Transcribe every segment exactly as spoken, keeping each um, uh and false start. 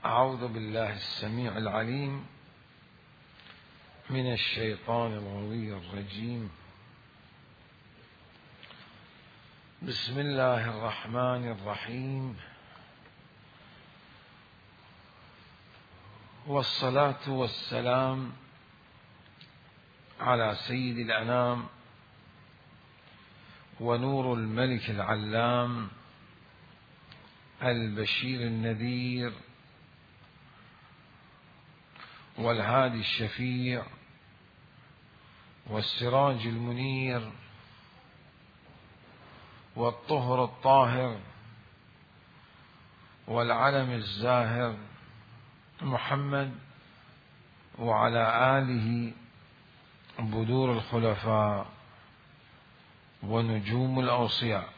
أعوذ بالله السميع العليم من الشيطان الغوي الرجيم. بسم الله الرحمن الرحيم، والصلاة والسلام على سيد الأنام ونور الملك العلام البشير النذير والهادي الشفيع والسراج المنير والطهر الطاهر والعلم الزاهر محمد وعلى آله بدور الخلفاء ونجوم الأوصياء.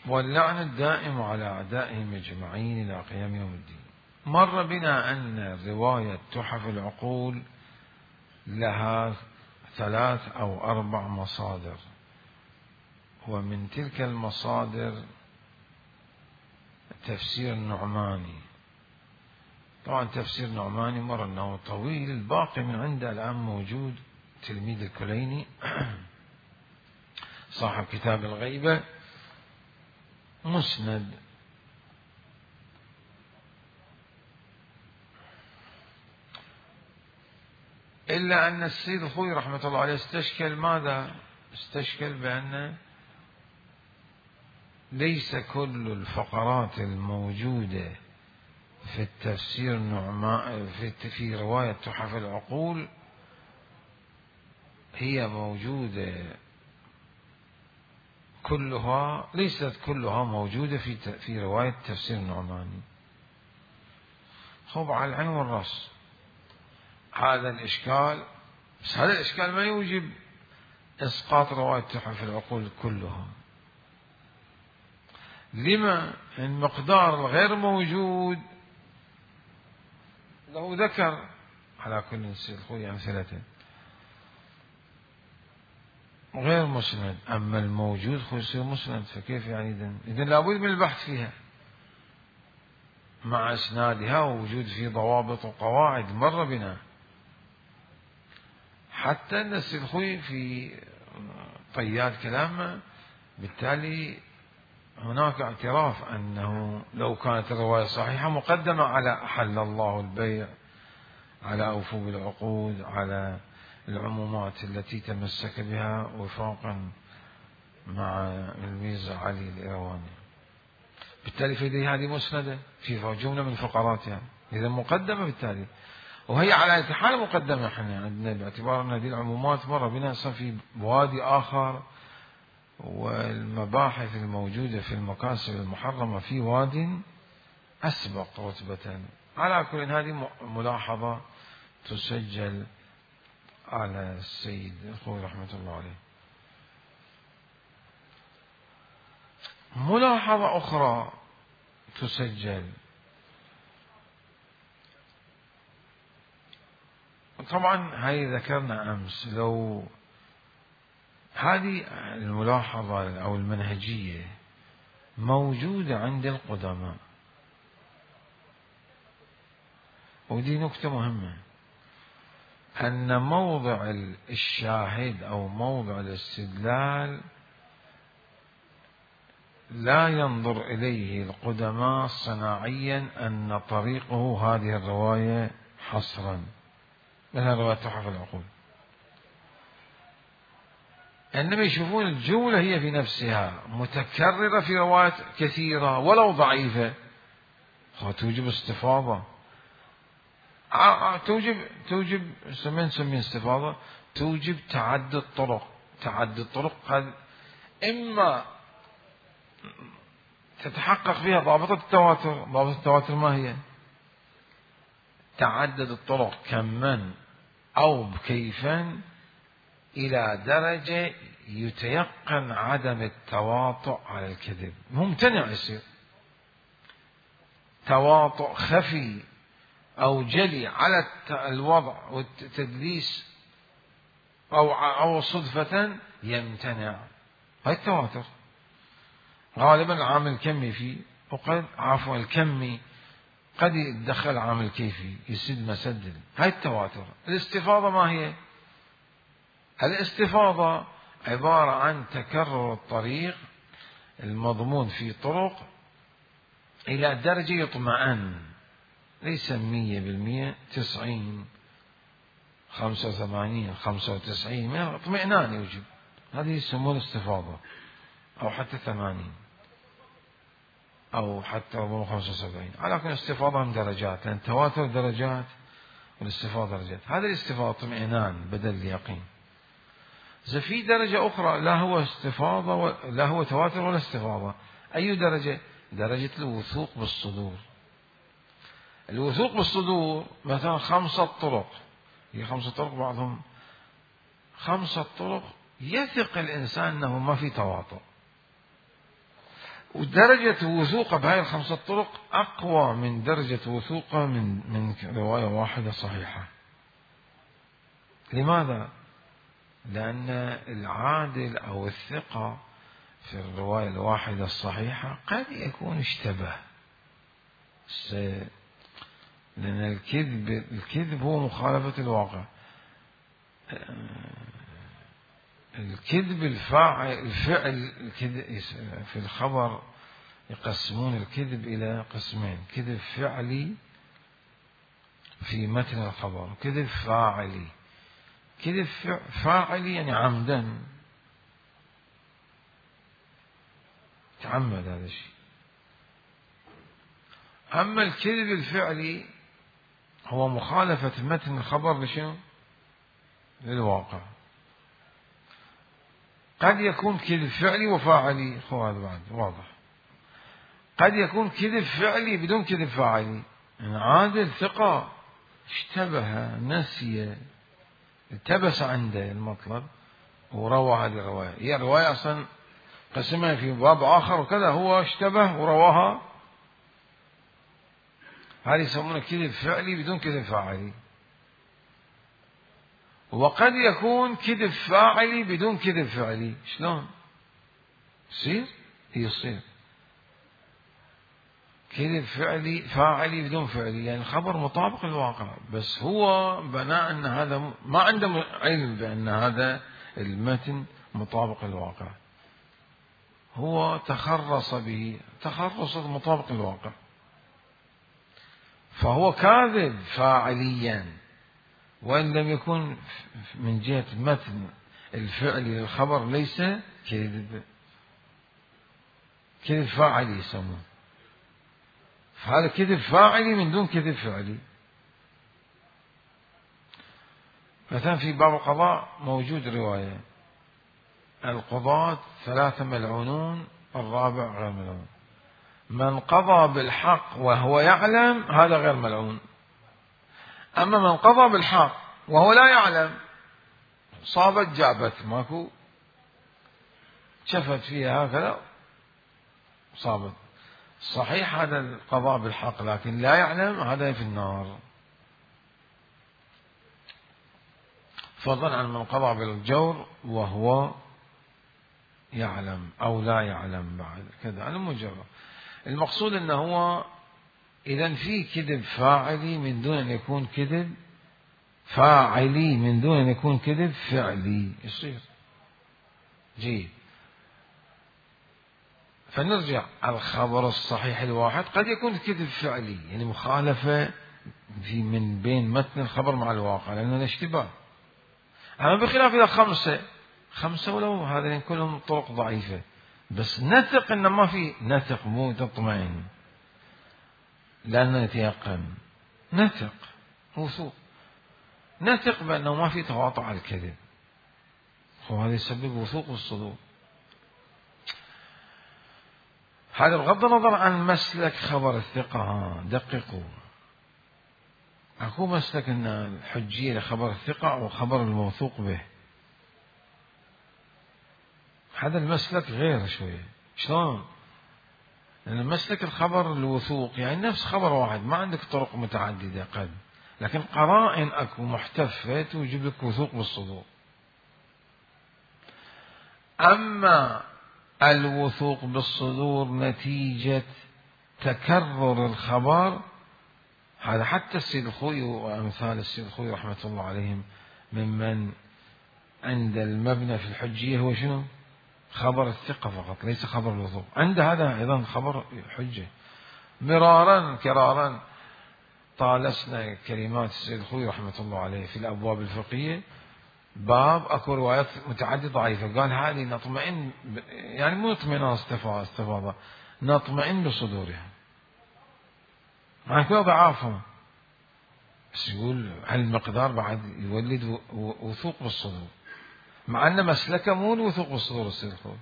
واللعن الدائم على أعدائهم أجمعين إلى قيام يوم الدين. مر بنا أن رواية تحف العقول لها ثلاث أو أربع مصادر، ومن تلك المصادر تفسير النعماني. طبعا تفسير النعماني مر أنه طويل، الباقي من عنده الآن موجود تلميذ الكليني صاحب كتاب الغيبة مسند. إلا أن السيد الخوي رحمة الله عليه استشكل ماذا؟ استشكل بأن ليس كل الفقرات الموجودة في التفسير النعمان في, في رواية تحف العقول هي موجودة كلها، ليست كلها موجودة في في رواية تفسير النعماني. خب على العين والرأس هذا الإشكال، بس هذا الإشكال ما يوجب إسقاط رواية تحف العقول كلها. لما؟ المقدار الغير موجود له ذكر على كل خوي أمثلته غير مسند، أما الموجود خو يصير مسند، فكيف يعني إذن؟ إذن لابد من البحث فيها مع إسنادها ووجود في ضوابط وقواعد مر بنا، حتى أن السيد خوي في طيات كلامه بالتالي هناك اعتراف أنه لو كانت الرواية صحيحة مقدمة على أحل الله البيع، على أوفوا بالعقود، على العمومات التي تمسك بها وفاقا مع الميرزا علي الإيرواني. بالتالي في هذه مسندة في جملة من فقراتها، إذا مقدمة بالتالي، وهي على أي حال مقدمة. احنا عندنا باعتبار أن هذه العمومات مر بنا في بوادي آخر، والمباحث الموجودة في المكاسب المحرمة في واد أسبق رتبة. على كل هذه ملاحظة تسجل على السيد الخوي رحمة الله عليه. ملاحظة أخرى تسجل، طبعا هذه ذكرنا أمس، لو هذه الملاحظة أو المنهجية موجودة عند القدماء، ودي نكتة مهمة، أن موضع الشاهد أو موضع الاستدلال لا ينظر إليه القدماء صناعيا أن طريقه هذه الرواية حصرا، مثل رواية تحف العقول، إنما يشوفون الجملة هي في نفسها متكررة في روايات كثيرة ولو ضعيفة، توجب استفاضة، توجب توجب من نسميه استفاضة، توجب تعدد طرق. تعدد طرق قد إما تتحقق فيها ضابطة التواتر. ضابطة التواتر ما هي؟ تعدد الطرق كما أو كيفا إلى درجة يتيقن عدم التواطؤ على الكذب، ممتنع يصير تواطؤ خفي أو جلي على الوضع والتدليس أو أو صدفة يمتنع. هاي التواتر غالبا العامل الكمي فيه، وقد عفوا الكمي قد يتدخل عامل كيفي يسد مسد. هاي التواتر. الاستفاضة ما هي؟ الاستفاضة عبارة عن تكرر الطريق المضمون في طرق إلى درجة يطمئن، ليس مية بالمية، تسعين، خمسة وثمانين، خمسة وتسعين، من اطمئنان يوجد، هذه يسمون استفاضة، أو حتى ثمانين، أو حتى خمسة وسبعين. على كل استفاضة من درجات، لأن التواتر درجات والاستفاضة درجات. هذه الاستفاضة اطمئنان بدل اليقين. إذا في درجة أخرى لا هو استفاضة و... لا هو تواتر ولا استفاضة. أي درجة؟ درجة الوثوق بالصدور. الوثوق بالصدور مثلا خمسة طرق، هي خمسة طرق بعضهم خمسة طرق يثق الإنسان أنه ما في تواطؤ، ودرجة وثوقه بهاي الخمسة طرق أقوى من درجة وثوقه من من رواية واحدة صحيحة. لماذا؟ لأن العادل أو الثقة في الرواية الواحدة الصحيحة قد يكون اشتبه، لأن الكذب الكذب هو مخالفة الواقع. الكذب الفاعل الفعل الكذب في الخبر يقسمون الكذب إلى قسمين: كذب فعلي في متن الخبر، كذب فاعلي. كذب فاعلي يعني عمدا، تعمد هذا الشيء. أما الكذب الفعلي هو مخالفة متن الخبر لشنو؟ للواقع. قد يكون كذب فعلي وفاعلي، هو هذا بعد واضح. قد يكون كذب فعلي بدون كذب فاعلي، يعني عادل ثقة اشتبه نسي التبس عنده المطلب وروى هذه الرواية. هي الرواية أصلا قسمها في باب آخر وكذا، هو اشتبه ورواها، هذه يسمونه كذب فعلي بدون كذب فاعلي. وقد يكون كذب فاعلي بدون كذب فعلي. شلون يصير؟ يصير كذب فعلي فاعلي بدون فعلي، يعني الخبر مطابق للواقع، بس هو بناء أن هذا ما عنده علم بأن هذا المتن مطابق للواقع، هو تخرص به تخرص مطابق للواقع، فهو كاذب فاعليا، وإن لم يكن من جهة متن الفعل للخبر ليس كذب، كذب فاعلي يسمونه. فهذا كذب فاعلي من دون كذب فعلي. مثلا في باب القضاء موجود رواية: القضاة ثلاثة ملعونون، الرابع غير ملعون. من قضى بالحق وهو يعلم هذا غير ملعون، أما من قضى بالحق وهو لا يعلم، صابت جابت، ماكو شفت فيها هكذا صابت، صحيح هذا القضاء بالحق لكن لا يعلم، هذا في النار. فضلا عن من قضى بالجور وهو يعلم أو لا يعلم بعد كذا، على مجرد. المقصود أنه هو إذن في كذب فاعلي من دون أن يكون كذب فاعلي، من دون أن يكون كذب فعلي يصير. جيد. فنرجع الخبر الصحيح الواحد قد يكون كذب فعلي، يعني مخالفة في من بين متن الخبر مع الواقع، لأنه الاشتباه. أما بخلاف إذا خمسة خمسة ولو هذين كلهم طرق ضعيفة، بس نثق إن ما في، نثق مو تطمئن، لأننا نتيقن، نثق وثوق، نثق بأنه ما في تواطؤ على الكذب، وهذا يسبب وثوق الصدور. هذا بغض النظر عن مسلك خبر الثقة. دققوا، أكو مسلك أن الحجية لخبر الثقة أو خبر الموثوق به، هذا المسلك غير شوية. شلون؟ لأن مسلك الخبر الوثوق يعني نفس خبر واحد، ما عندك طرق متعددة قد، لكن قرائن أكو محتفة توجب لك وثوق بالصدور. أما الوثوق بالصدور نتيجة تكرر الخبر، هذا حتى السيد الخوئي وأمثال السيد الخوئي رحمة الله عليهم ممن عند المبنى في الحجية هو شنو؟ خبر الثقة فقط، ليس خبر الوثوق. عند هذا أيضا خبر حجة. مرارا كرارا طالسنا كلمات السيد الخوئي رحمة الله عليه في الأبواب الفقهية، باب أكو روايات متعددة ضعيفة، قال هذه نطمئن، يعني مو اطمئنان استفاضة، نطمئن بصدورها، مع كل ضعافهم، بس يقول هالمقدار بعد يولد وثوق بالصدور، مع أن مسلكه مو الوثوق بالصدور. السيد الخوئي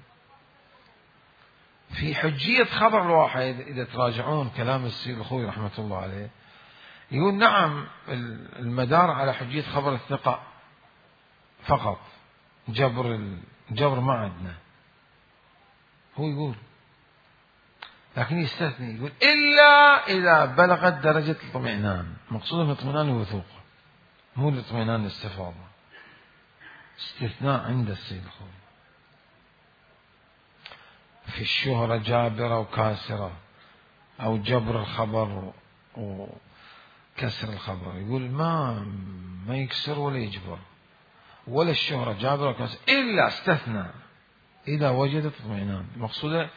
في حجية خبر الواحد، إذا تراجعون كلام السيد الخوئي رحمة الله عليه، يقول نعم المدار على حجية خبر الثقة فقط، جبر الجبر ما عندنا، هو يقول، لكن يستثني يقول إلا إذا بلغت درجة الاطمئنان، مقصوده اطمئنان الوثوق مو الاطمئنان الاستفاضة، استثناء عند السيد الخوئي. في الشهرة جابرة وكاسرة، أو جبر الخبر وكسر الخبر، يقول ما ما يكسر ولا يجبر، ولا الشهرة جابرة وكاسرة، إلا استثنى إذا وجدت اطمئنان، مقصوده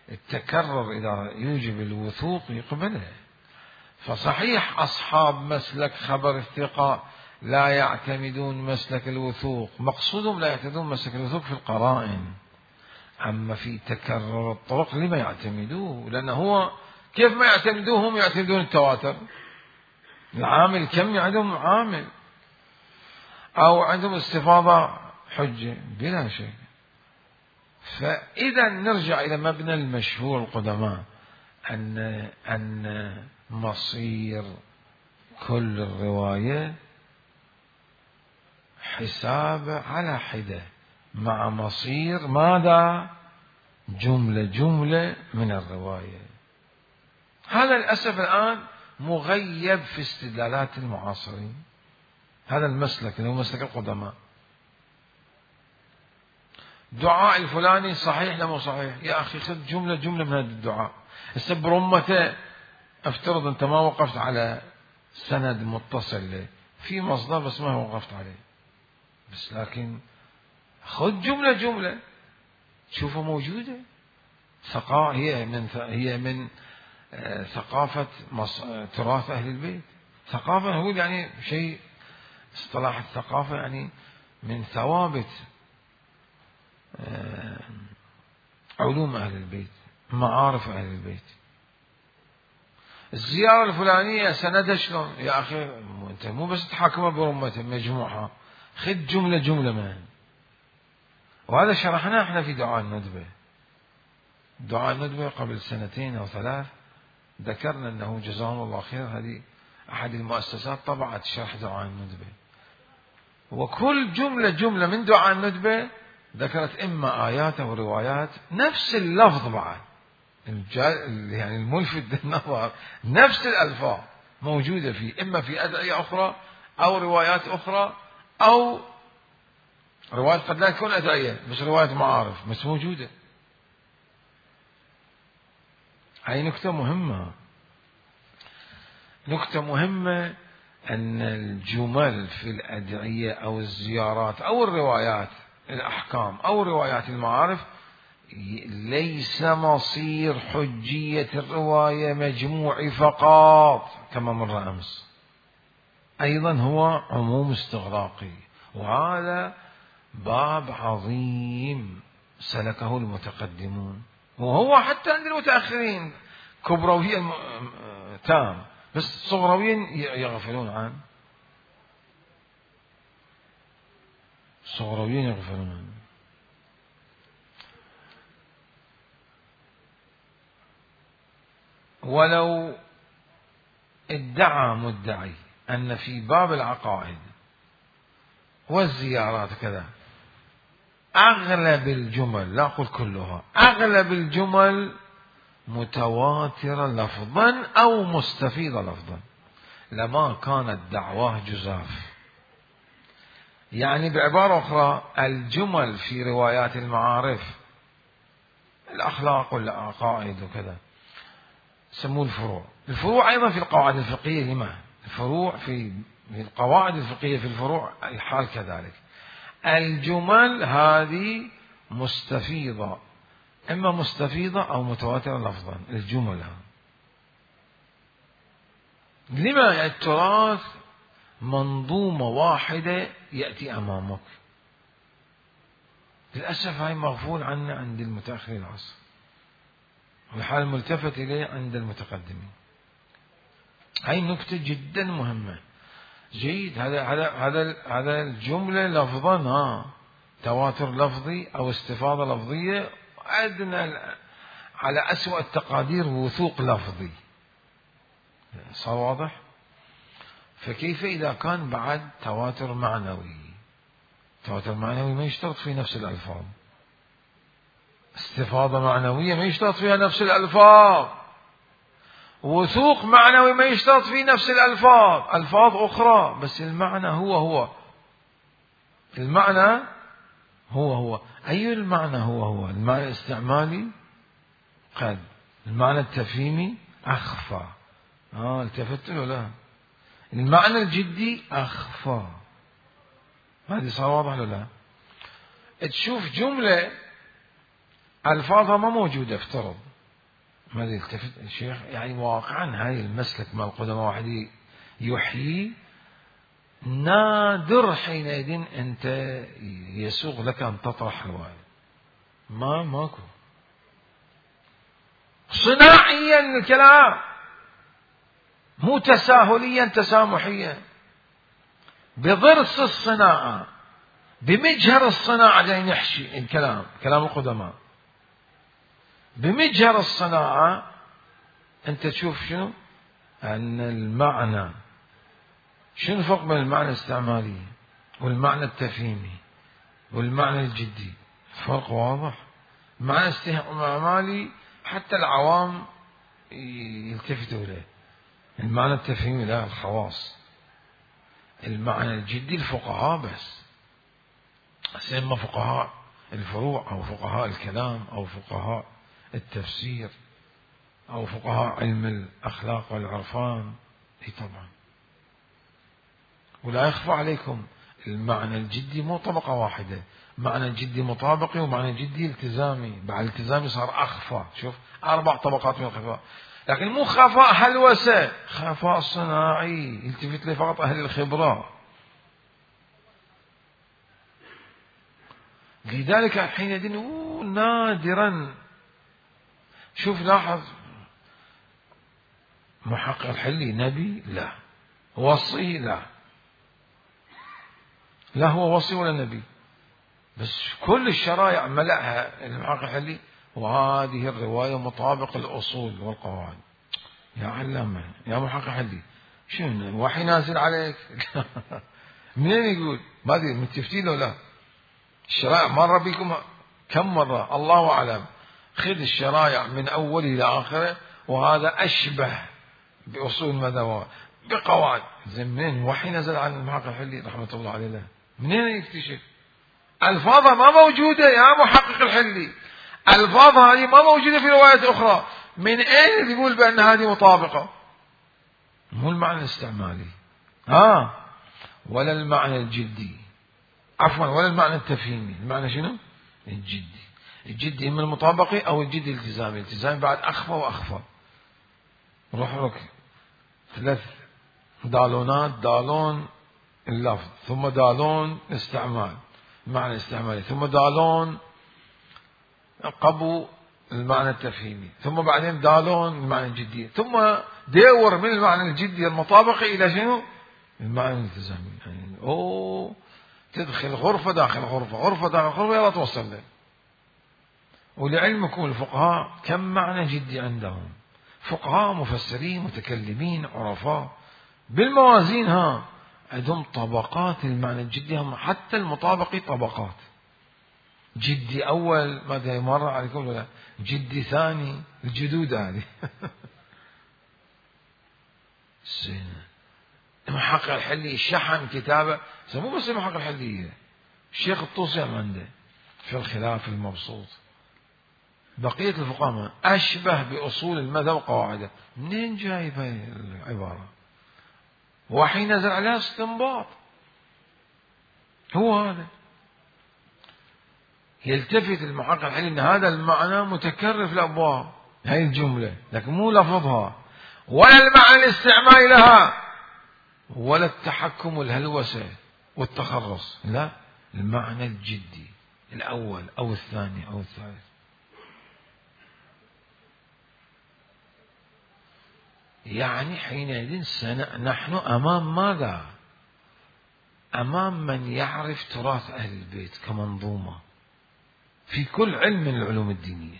التكرر إذا يوجب الوثوق يقبله. فصحيح أصحاب مسلك خبر الثقة لا يعتمدون مسلك الوثوق، مقصودهم لا يعتمدون مسلك الوثوق في القرائن، أما في تكرر الطرق لما يعتمدوه؟ لأنه هو كيف ما يعتمدوه هم يعتمدون التواتر، العامل كم عندهم عامل، أو عندهم استفاضة حجة بلا شك. فإذا نرجع إلى مبنى المشهور القدماء أن أن مصير كل الرواية حساب على حدة، مع مصير ماذا؟ جملة جملة من الرواية. هذا للأسف الآن مغيب في استدلالات المعاصرين، هذا المسلك اللي هو مسلك القدماء. دعاء الفلاني صحيح لا مو صحيح؟ يا أخي خذ جملة جملة من هذا الدعاء. هسه برمته افترض أنت ما وقفت على سند متصل له، في مصدر بس ما وقفت عليه، بس لكن خذ جملة جملة تشوفها موجودة. ثقافة هي من هي من ثقافة تراث أهل البيت. ثقافة هو يعني شيء، اصطلاح الثقافة يعني من ثوابت علوم أهل البيت، معارف أهل البيت. الزيارة الفلانية سندها شلون؟ يا أخي أنت مو بس تحاكمها برمته مجموعها، خذ جملة جملة منها. وهذا شرحناه احنا في دعاء الندبة. دعاء الندبة قبل سنتين أو ثلاث ذكرنا أنه جزاهم الله خير، هذه أحد المؤسسات طبعت شرح دعاء الندبة، وكل جملة جملة من دعاء الندبة ذكرت إما آيات أو روايات نفس اللفظ، بعد يعني الملفت للنظر نفس الألفاظ موجودة فيه، إما في أدعية أخرى أو روايات أخرى، أو روايات قد لا تكون أدعية بس روايات معارف بس موجودة. هاي نكتة مهمة، نكتة مهمة أن الجمل في الأدعية أو الزيارات أو الروايات الأحكام أو روايات المعارف ليس مصير حجية الرواية مجموع فقط كما مر أمس، أيضا هو عموم استغراقي. وهذا باب عظيم سلكه المتقدمون، وهو حتى عند المتأخرين كبرويا تام، بس صغرويا يغفلون عنه، صغرويا يغفلون عنه. ولو ادعى مدعي أن في باب العقائد والزيارات كذا أغلب الجمل، لا أقول كلها، أغلب الجمل متواترة لفظا أو مستفيضة لفظا، لما كانت دعواه جزاف. يعني بعبارة أخرى الجمل في روايات المعارف الأخلاق والعقائد وكذا، يسموه الفروع. الفروع أيضا في القواعد الفقهية لما الفروع في القواعد الفقهية في الفروع الحال كذلك. الجمل هذه مستفيضة، إما مستفيضة أو متواترة لفظا. الجمل لما التراث منظومة واحدة يأتي أمامك، للأسف هاي مغفول عنه عند المتأخرين العصر، والحال ملتفت إليه عند المتقدمين. هاي نكتة جدا مهمة. جيد، هذا هذا هذا هذا الجملة لفظا ها تواتر لفظي أو استفاضة لفظية، أدنى على أسوأ التقادير وثوق لفظي. صار واضح؟ فكيف إذا كان بعد تواتر معنوي؟ تواتر معنوي ما يشترط في نفس الألفاظ. استفاضة معنوية ما يشترط فيها نفس الألفاظ. وثوق معنوي ما يشترط فيه نفس الألفاظ، ألفاظ أخرى بس المعنى هو هو. المعنى هو هو. أي المعنى هو هو؟ المعنى الاستعمالي قد، المعنى التفهيمي أخفى. آه التفت له لا. المعنى الجدي أخفى. هذه صار واضح ولا لا؟ تشوف جملة ألفاظها ما موجودة افترض، ما يلتفت الشيخ يعني واقعا هاي المسلك مال القدماء واحد يحيي، نادر حينئذ أنت يسوغ لك أن تطرح رواية، ما ماكو. صناعيا الكلام، مو تساهليا تسامحيا، بضرس الصناعة بمجهر الصناعة جاي نحشي الكلام، كلام القدماء بمجهر الصناعة. أنت تشوف شنو أن المعنى، شنو الفرق بين المعنى الاستعمالي والمعنى التفهيمي والمعنى الجدي؟ فرق واضح. المعنى الاستعمالي حتى العوام يلتفتوا إليه، المعنى التفهيمي لا، الخواص. المعنى الجدي الفقهاء بس، سيما فقهاء الفروع أو فقهاء الكلام أو فقهاء التفسير أو فقهاء علم الأخلاق والعرفان. اي طبعا. ولا يخفى عليكم المعنى الجدي مو طبقة واحدة، معنى جدي مطابقي ومعنى جدي التزامي. بعد الالتزامي صار أخفى. شوف أربع طبقات من الخفاء، لكن مو خفاء هلوسة، خفاء صناعي يلتفت له فقط أهل الخبرة. لذلك حينئذ نادرا. شوف لاحظ، محقق الحلي نبي؟ لا. وصي؟ لا. لا هو وصي ولا نبي، بس كل الشرائع ملأها المحقق الحلي، وهذه الرواية مطابق الأصول والقواعد. يا علامة يا محقق الحلي، شنو وحي نازل عليك؟ منين يقول؟ ما ادري متفتين له لا. الشرائع مر بكم كم مرة الله أعلم. خذ الشرائع من أول إلى آخره، وهذا أشبه بأصول المذهب بقواعد. زين منين وحي نزل على المحقق الحلي رحمة الله عليه له؟ منين يكتشف؟ ألفاظها ما موجودة يا محقق الحلي، ألفاظها هذه ما موجودة في روايات أخرى. من أين يقول بأن هذه مطابقة؟ مو المعنى الاستعمالي ها، ولا المعنى الجدي، عفوا ولا المعنى التفهيمي. المعنى شنو؟ الجدي. الجدي إما المطابقي أو الجدي الالتزامي. الالتزامي بعد أخفى وأخفى. روح لك ثلاث دالونات، دالون اللفظ، ثم دالون استعمال المعنى الاستعمالي، ثم دالون قبو المعنى التفهيمي، ثم بعدين دالون المعنى الجدي، ثم دور من المعنى الجدي المطابقي إلى شنو؟ المعنى الالتزامي. يعني أوه تدخل غرفة داخل غرفة، غرفة داخل غرفة، يلا توصل له. ولعلمكم الفقهاء كم معنى جدي عندهم، فقهاء مفسرين متكلمين عرفاء بالموازين ها، عندهم طبقات المعنى الجدي، هم حتى المطابقي طبقات. جدي أول ماذا مر عليكم ولا جدي ثاني، الجدود هذه. سنة محقق الحلي شحن كتابه، مو بس محقق الحلي، الشيخ الطوسي عنده في الخلاف المبسوط بقية الفقهاء أشبه بأصول المذهب وقواعده. منين جايب هاي العبارة؟ وحي نزل عليها استنباط. هو هذا يلتفت المحقق الحلي أن هذا المعنى متكرر في الأبواب، هاي الجملة، لكن مو لفظها ولا المعنى الاستعمالي لها ولا التحكم الهلوسة والتخرص، لا، المعنى الجدي الأول أو الثاني أو الثالث. يعني حينئذ نحن أمام ماذا؟ أمام من يعرف تراث أهل البيت كمنظومة في كل علم من العلوم الدينية.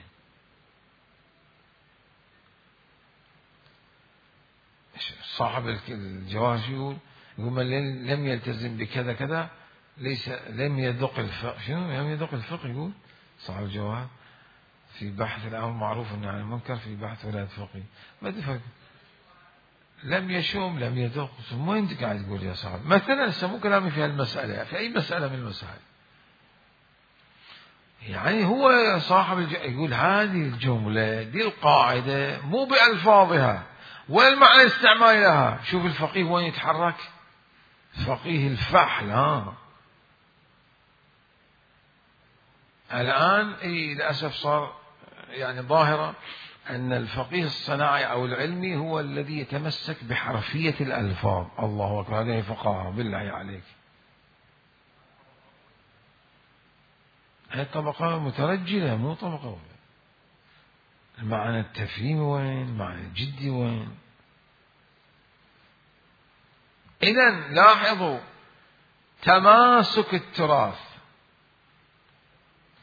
صاحب الجواهر يقول يقول من لم يلتزم بكذا كذا ليس لم يذق الفقه. شنو لم يذق الفقه؟ يقول صاحب الجواهر في بحث الأمر معروف عن المنكر في بحث ولاية فقيه. ما تفهم لم يشوم لم يذوق. مو انت قاعد تقول يا صاحب مثلا سمو كلامي في هالمسألة في أي مسألة من المسائل. يعني هو صاحب الج... يقول هذه الجملة دي القاعدة مو بألفاظها ولا المعنى الاستعمالي لها. شوف الفقيه وين يتحرك، فقيه الفحل. ها الآن اي للأسف صار يعني ظاهرة أن الفقيه الصناعي أو العلمي هو الذي يتمسك بحرفية الألفاظ. الله أكبر، هذه فقهاء بالله عليك. هذه طبقة مترجلة مو طبقة. المعنى التفهيمي وين؟ المعنى الجدي وين؟ إذن لاحظوا تماسك التراث،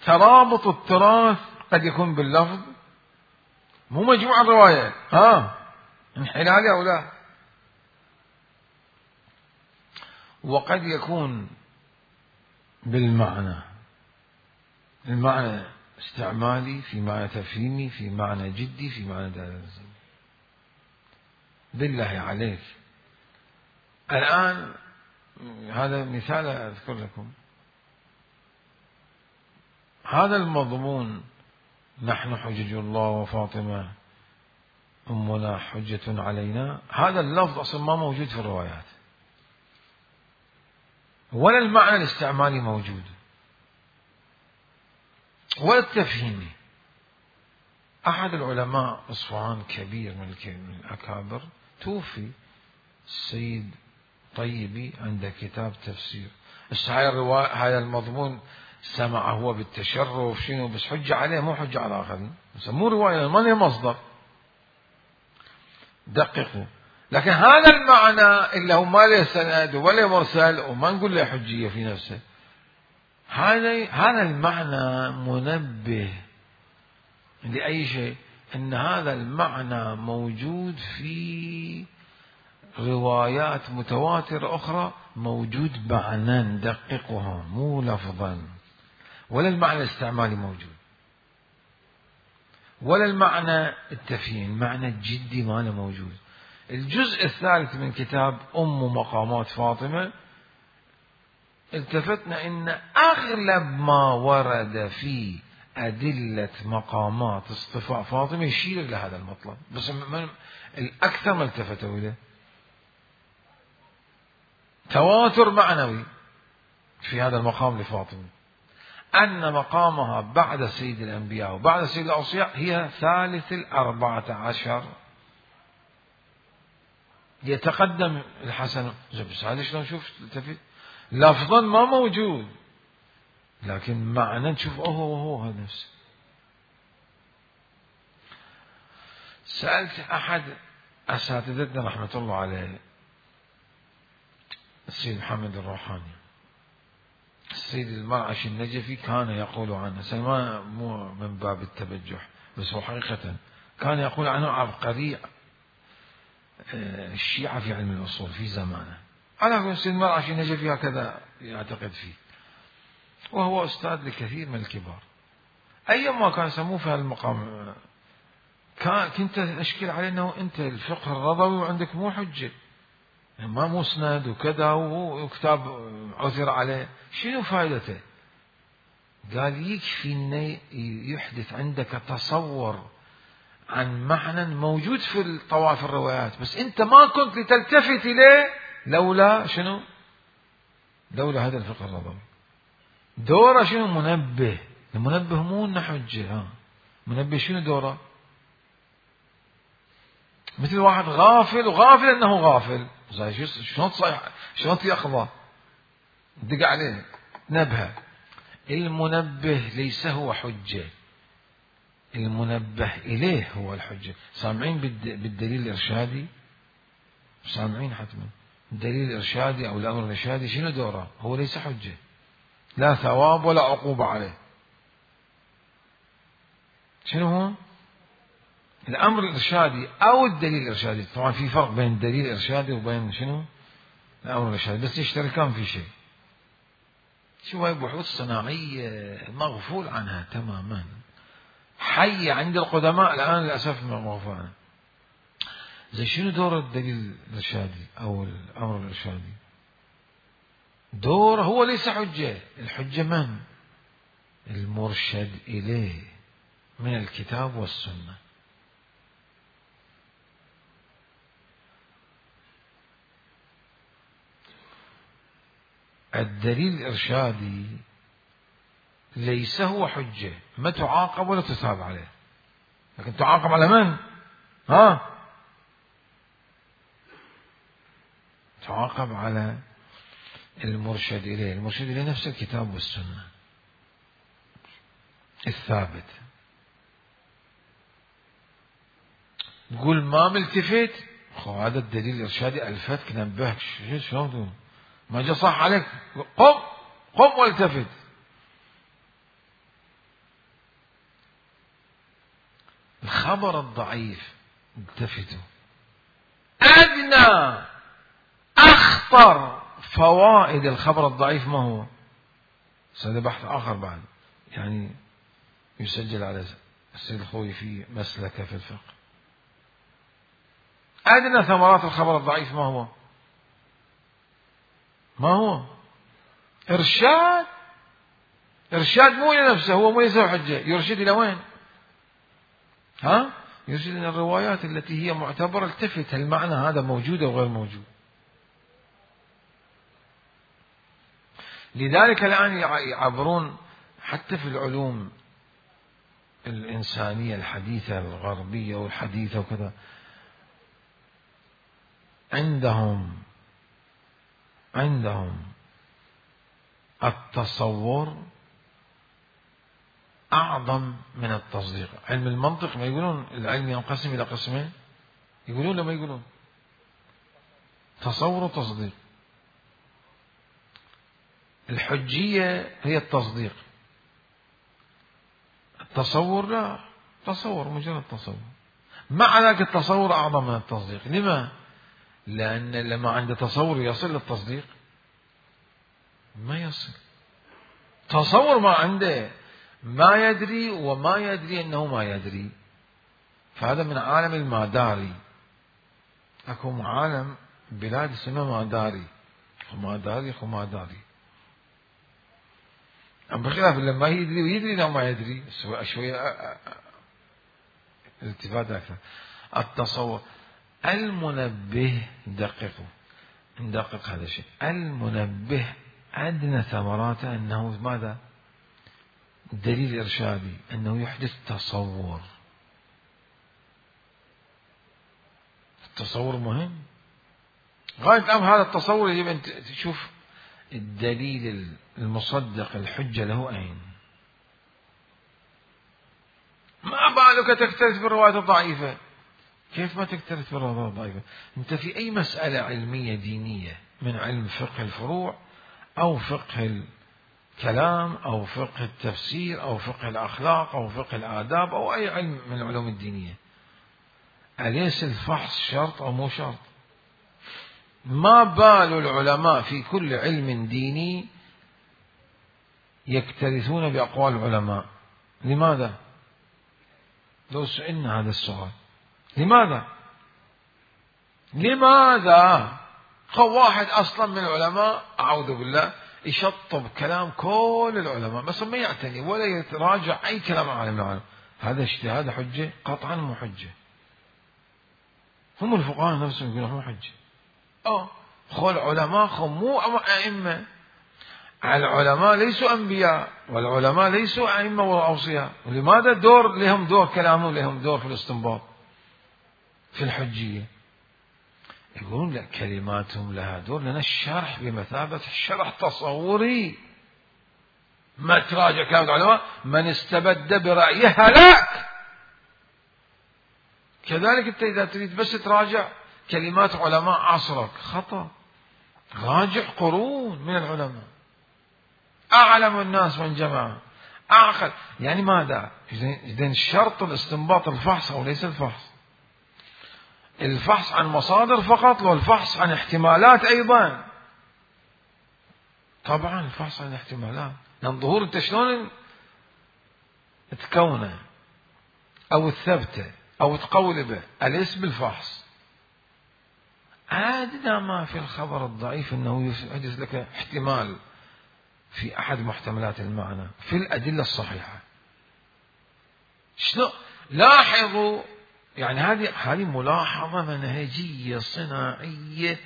ترابط التراث قد يكون باللفظ، مو مجموعة الروايات ها انحلال أو لا، وقد يكون بالمعنى، المعنى استعمالي في معنى تفهيمي في معنى جدي في معنى دلالة. بالله عليك الآن هذا مثال أذكر لكم. هذا المضمون نحن حجج الله وفاطمة أمنا حجة علينا، هذا اللفظ أصلا ما موجود في الروايات ولا المعنى الاستعمالي موجود ولا التفهيمي. أحد العلماء أصفهان كبير من الأكابر توفي، السيد طيبي عنده كتاب تفسير. هاي الرواية هذا المضمون سمع هو بالتشرف شنو، بس حجة عليه مو حجة على آخرين، مو رواية ما له مصدر. دققوا. لكن هذا المعنى اللي هو ما له سند ولا مرسل وما نقول له حجية في نفسه، هذا هذا المعنى منبه لأي شيء، أن هذا المعنى موجود في روايات متواترة أخرى، موجود معنى دققها مو لفظا، ولا المعنى الاستعمالي موجود ولا المعنى التفهيم، المعنى الجدي ما له موجود. الجزء الثالث من كتاب أم مقامات فاطمة التفتنا إن أغلب ما ورد في أدلة مقامات اصطفاء فاطمة يشير إلى هذا المطلب، بس من الأكثر ما التفتوا إليه تواتر معنوي في هذا المقام لفاطمة، أن مقامها بعد سيد الأنبياء وبعد سيد الأوصياء هي ثالث الأربعة عشر، يتقدم الحسن. بس هذا شلون نشوف التفت لفظا ما موجود، لكن معنى نشوف هو هو هذا نفسه. سألت أحد أساتذتنا رحمة الله عليه السيد محمد الروحاني، السيد المرعشي النجفي، كان يقول عنه سلمان مو من باب التبجح بس هو حقيقة كان يقول عنه عبقري الشيعة في علم الأصول في زمانه. أنا أقول السيد المرعشي النجفي هكذا يعتقد فيه، وهو أستاذ لكثير من الكبار. أيما كان يسموه في هالمقام كان كنت أشكل عليه أنه أنت الفقه الرضوي وعندك مو حجة، ما مسند وكذا وكتاب عثر عليه، شنو فائدته؟ قال يكفي أن يحدث عندك تصور عن معنى موجود في الطوائف الروايات، بس أنت ما كنت لتلتفت إليه لولا شنو؟ لولا هذا الفقه النظري. دوره شنو؟ منبه. المنبه مو إنه حجة. ها منبه شنو دوره؟ مثل واحد غافل وغافل أنه غافل، زي شلون تصيح شلون يأخذه دق عليه نبهه. المنبه ليس هو حجة، المنبه إليه هو الحجة. سامعين بالدليل الإرشادي؟ سامعين حتما الدليل الإرشادي أو الأمر الإرشادي شنو دوره؟ هو ليس حجة، لا ثواب ولا عقوبة عليه. شنو هو؟ الأمر الإرشادي أو الدليل الإرشادي. طبعا في فرق بين الدليل الإرشادي وبين شنو؟ الأمر الإرشادي، بس يشتركان في شيء. شو هاي بحوث صناعية مغفول عنها تماما، حية عند القدماء الآن للأسف مغفول عنها. زي شنو دور الدليل الإرشادي أو الأمر الإرشادي؟ دور هو ليس حجة. الحجة من؟ المرشد إليه من الكتاب والسنة. الدليل الإرشادي ليس هو حجة، ما تعاقب ولا تثاب عليه، لكن تعاقب على من؟ ها تعاقب على المرشد إليه. المرشد إليه نفس الكتاب والسنة الثابت. تقول ما ملتفت، خو هذا الدليل الإرشادي ألفتك نبهك شلون ما جاء صح عليك، قم قم والتفت. الخبر الضعيف التفتوا. أدنى أخطر فوائد الخبر الضعيف ما هو؟ هذا بحث آخر بعد، يعني يسجل على السيد الخوي في مسلكه في الفقه. أدنى ثمرات الخبر الضعيف ما هو؟ ما هو؟ إرشاد. إرشاد مو إلى نفسه، هو مو ليس حجة. يرشد إلى وين؟ ها؟ يرشد إلى الروايات التي هي معتبرة، التفت المعنى هذا موجود أو غير موجود. لذلك الآن يعبرون حتى في العلوم الإنسانية الحديثة الغربية والحديثة وكذا، عندهم عندهم التصور أعظم من التصديق. علم المنطق ما يقولون العلم ينقسم إلى قسمين؟ يقولون لما يقولون تصور وتصديق. الحجية هي التصديق، التصور لا، تصور مجرد تصور. مع ذلك التصور أعظم من التصديق. لما؟ لأن لما عنده تصور يصل للتصديق ما يصل. تصور ما عنده، ما يدري وما يدري أنه ما يدري، فهذا من عالم الماداري. أكو عالم بلاد اسمها ماداري، خماداري خماداري. أما بخلاف لما يدري ويدري أنه ما يدري شوية الالتفات أكثر. التصور المنبه، دققوا ندقق هذا الشيء. المنبه أدنى ثمراته أنه ماذا؟ دليل إرشادي، أنه يحدث تصور. التصور مهم غاية الأمر. هذا التصور يجب أن تشوف الدليل المصدق الحجة له أين. ما بالك تكترث بالروايات الضعيفة؟ كيف ما تكترث بالروايات الضعيفة؟ أنت في أي مسألة علمية دينية من علم فقه الفروع أو فقه الكلام أو فقه التفسير أو فقه الأخلاق أو فقه الآداب أو أي علم من العلوم الدينية، أليس الفحص شرط أو مو شرط؟ ما بال العلماء في كل علم ديني يكترثون بأقوال العلماء؟ لماذا؟ لو سئلنا هذا السؤال لماذا؟ لماذا؟ واحد أصلا من العلماء أعوذ بالله يشطب كلام كل العلماء بس ما يعتني ولا يتراجع أي كلام عالم العالم، هذا اجتهاد حجة؟ قطعا مو حجة. هم الفقهاء نفسهم يقولون مو حجة. اه خل علماء خل مو أئمة. العلماء ليسوا أنبياء والعلماء ليسوا أئمة وأوصياء، ولماذا دور لهم دور كلامهم لهم دور في الاستنباط في الحجية؟ يقولون لا كلماتهم لها دور لأن الشرح بمثابة الشرح تصوري. ما تراجع كلام العلماء من استبد برأيه هلاك. كذلك أنت إذا تريد بس تراجع كلمات علماء عصرك خطأ. راجع قرون من العلماء أعلم الناس من جماعة أعقل. يعني ماذا؟ إذن شرط الاستنباط الفحص أو ليس الفحص؟ الفحص عن مصادر فقط والفحص عن احتمالات أيضا. طبعا الفحص عن احتمالات لأن ظهور أنت شلون تكونه أو تثبته أو تقول به الاسم بالفحص. أدنى ما في الخبر الضعيف أنه يحدث لك احتمال في أحد محتملات المعنى في الأدلة الصحيحة. شلون لاحظوا يعني هذه هذه ملاحظة منهجية صناعية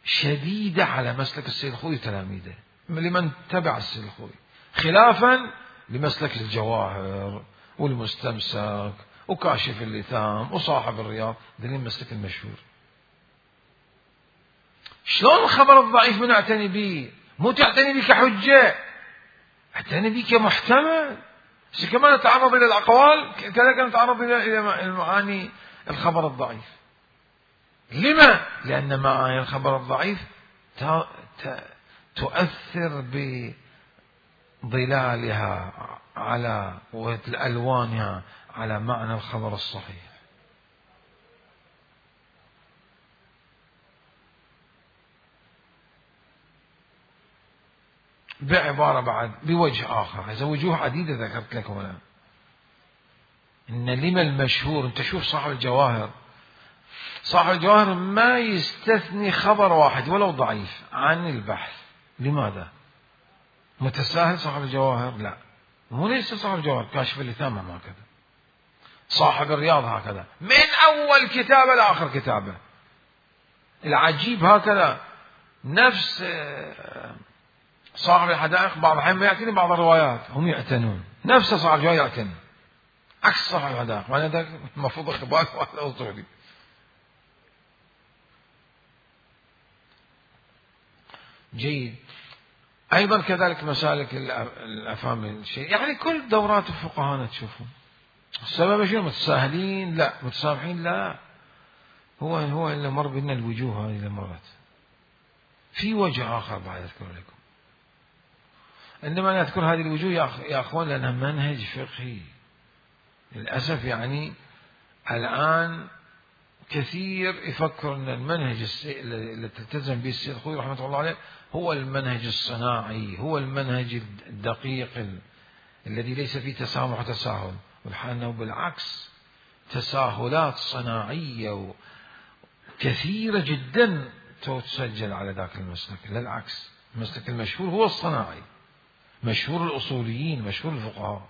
شديدة على مسلك السيد الخوئي وتلاميذه لمن تبع السيد الخوئي، خلافا لمسلك الجواهر والمستمسك وكاشف اللثام وصاحب الرياض، ذلك المسلك المشهور. شلون الخبر الضعيف من اعتني به؟ مو تعتني به كحجة، اعتني به كمحتمل. كمان نتعرض إلى الأقوال كذلك نتعرض إلى المعاني الخبر الضعيف. لما؟ لأن معاني الخبر الضعيف تؤثر بظلالها على وألوانها على معنى الخبر الصحيح. بعبارة بعد بوجه آخر، هذا وجوه عديدة ذكرت لك هنا. إن لما المشهور، أنت شوف صاحب الجواهر، صاحب الجواهر ما يستثني خبر واحد ولو ضعيف عن البحث. لماذا؟ متساهل صاحب الجواهر؟ لا، مو ليس صاحب الجواهر، كاشف اللثام هكذا، صاحب الرياض هكذا، من أول كتابة لآخر كتابة. العجيب هكذا نفس صاحب الحدائق بعض الأحيان ما يعتني بعض الروايات، هم يعتنون نفس صاحب الجواهر يعتني عكس صاحب الحدائق، معنى ذلك المفروض إخبار وهذا أصولي. جيد. أيضا كذلك مسالك الأفهام الشيء، يعني كل دورات الفقهاء تشوفون السبب شنو؟ متساهلين؟ لا. متسامحين؟ لا. هو هو اللي مر بنا الوجوه هذه اللي مرت. في وجه آخر بعد أذكر لكم، عندما نذكر هذه الوجوه يا أخوان لأنها منهج فقهي. للأسف يعني الآن كثير يفكر أن المنهج اللي تلتزم به السيد الخوئي رحمة الله عليه هو المنهج الصناعي، هو المنهج الدقيق الذي ليس فيه تسامح وتساهل، والحال أنه بالعكس تساهلات صناعية كثيرة جدا تسجل على ذاك المسلك. للعكس المسلك المشهور هو الصناعي، مشهور الأصوليين، مشهور الفقهاء.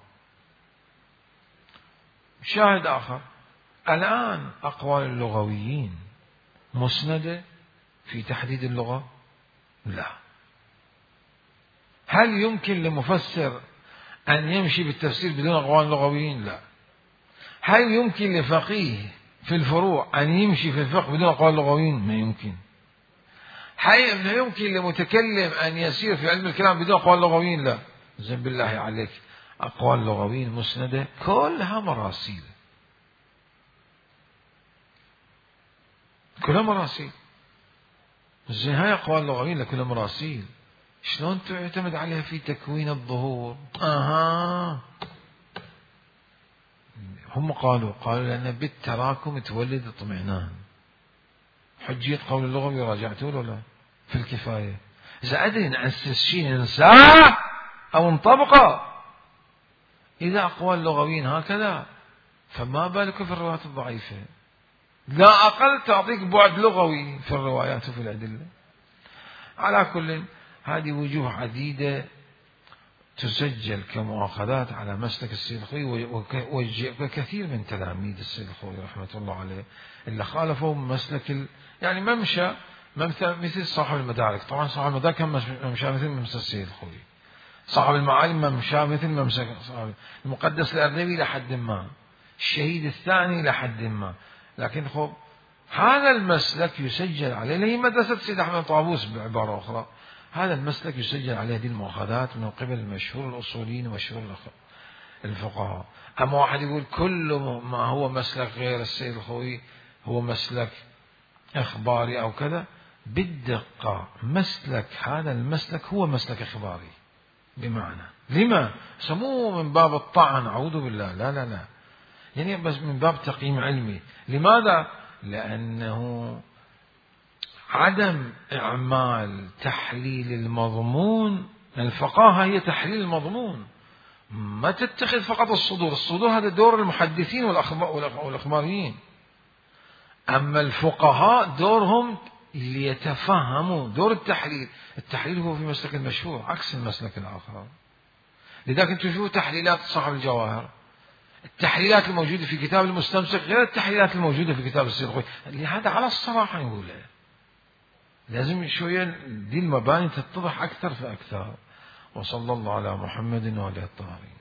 شاهد آخر، الآن أقوال اللغويين مسندة في تحديد اللغة؟ لا. هل يمكن لمفسر أن يمشي بالتفسير بدون أقوال اللغويين؟ لا. هل يمكن لفقيه في الفروع أن يمشي في الفقه بدون أقوال اللغويين؟ ما يمكن. هل يمكن لمتكلم أن يسير في علم الكلام بدون أقوال اللغويين؟ لا. زين بالله عليك، أقوال اللغويين مسندة كلها مراسيل، كلها مراسيل. زين هاي أقوال اللغويين لكلها مراسيل، شلون تعتمد عليها في تكوين الظهور؟ أها هم قالوا قالوا لأن بالتراكم تولد اطمئنان. حجية قول اللغوي راجعتوا له لا في الكفاية. إذا أدري نأسس شيء ننساه أو نطبقه إذا أقوال لغويين هكذا، فما بالك في الروايات الضعيفة؟ لا أقل تعطيك بعد لغوي في الروايات وفي الأدلة. على كل هذه وجوه عديدة تسجل كمؤاخذات على مسلك السيد الخوئي، وكثير من تلاميذ السيد الخوئي رحمة الله عليه اللي خالفوا مسلك ال... يعني ممشى مثل صاحب المدارك. طبعا صاحب المدارك كان ممشى مثل ممشى السيد الخوئي، صاحب المعالم ممشى مثل ممشى صاحب المقدس الأردبيلي لحد ما، الشهيد الثاني لحد ما. لكن خب هذا المسلك يسجل عليه، اللي هي مدرسة سيد أحمد طابوس بعبارة أخرى، هذا المسلك يسجل عليه هذه المؤاخذات من قبل مشهور الأصوليين ومشهور الفقهاء. أما واحد يقول كل ما هو مسلك غير السيد الخوئي هو مسلك إخباري أو كذا، بالدقة مسلك هذا المسلك هو مسلك إخباري بمعنى لما سموه من باب الطعن، أعوذ بالله، لا لا لا، يعني بس من باب تقييم علمي. لماذا؟ لأنه عدم إعمال تحليل المضمون. الفقاهة هي تحليل المضمون، ما تتخذ فقط الصدور. الصدور هذا دور المحدثين والأخباريين، أما الفقهاء دورهم ليتفهموا دور التحليل. التحليل هو في مسلك المشهور عكس المسلك الآخر. لذلك انتم شوفوا تحليلات صاحب الجواهر، التحليلات الموجودة في كتاب المستمسك غير التحليلات الموجودة في كتاب السيد الخوئي. لهذا على الصراحة نقوله لازم شوية دي المباني تتضح أكثر فأكثر. وصلى الله على محمد وعلى الطاهرين.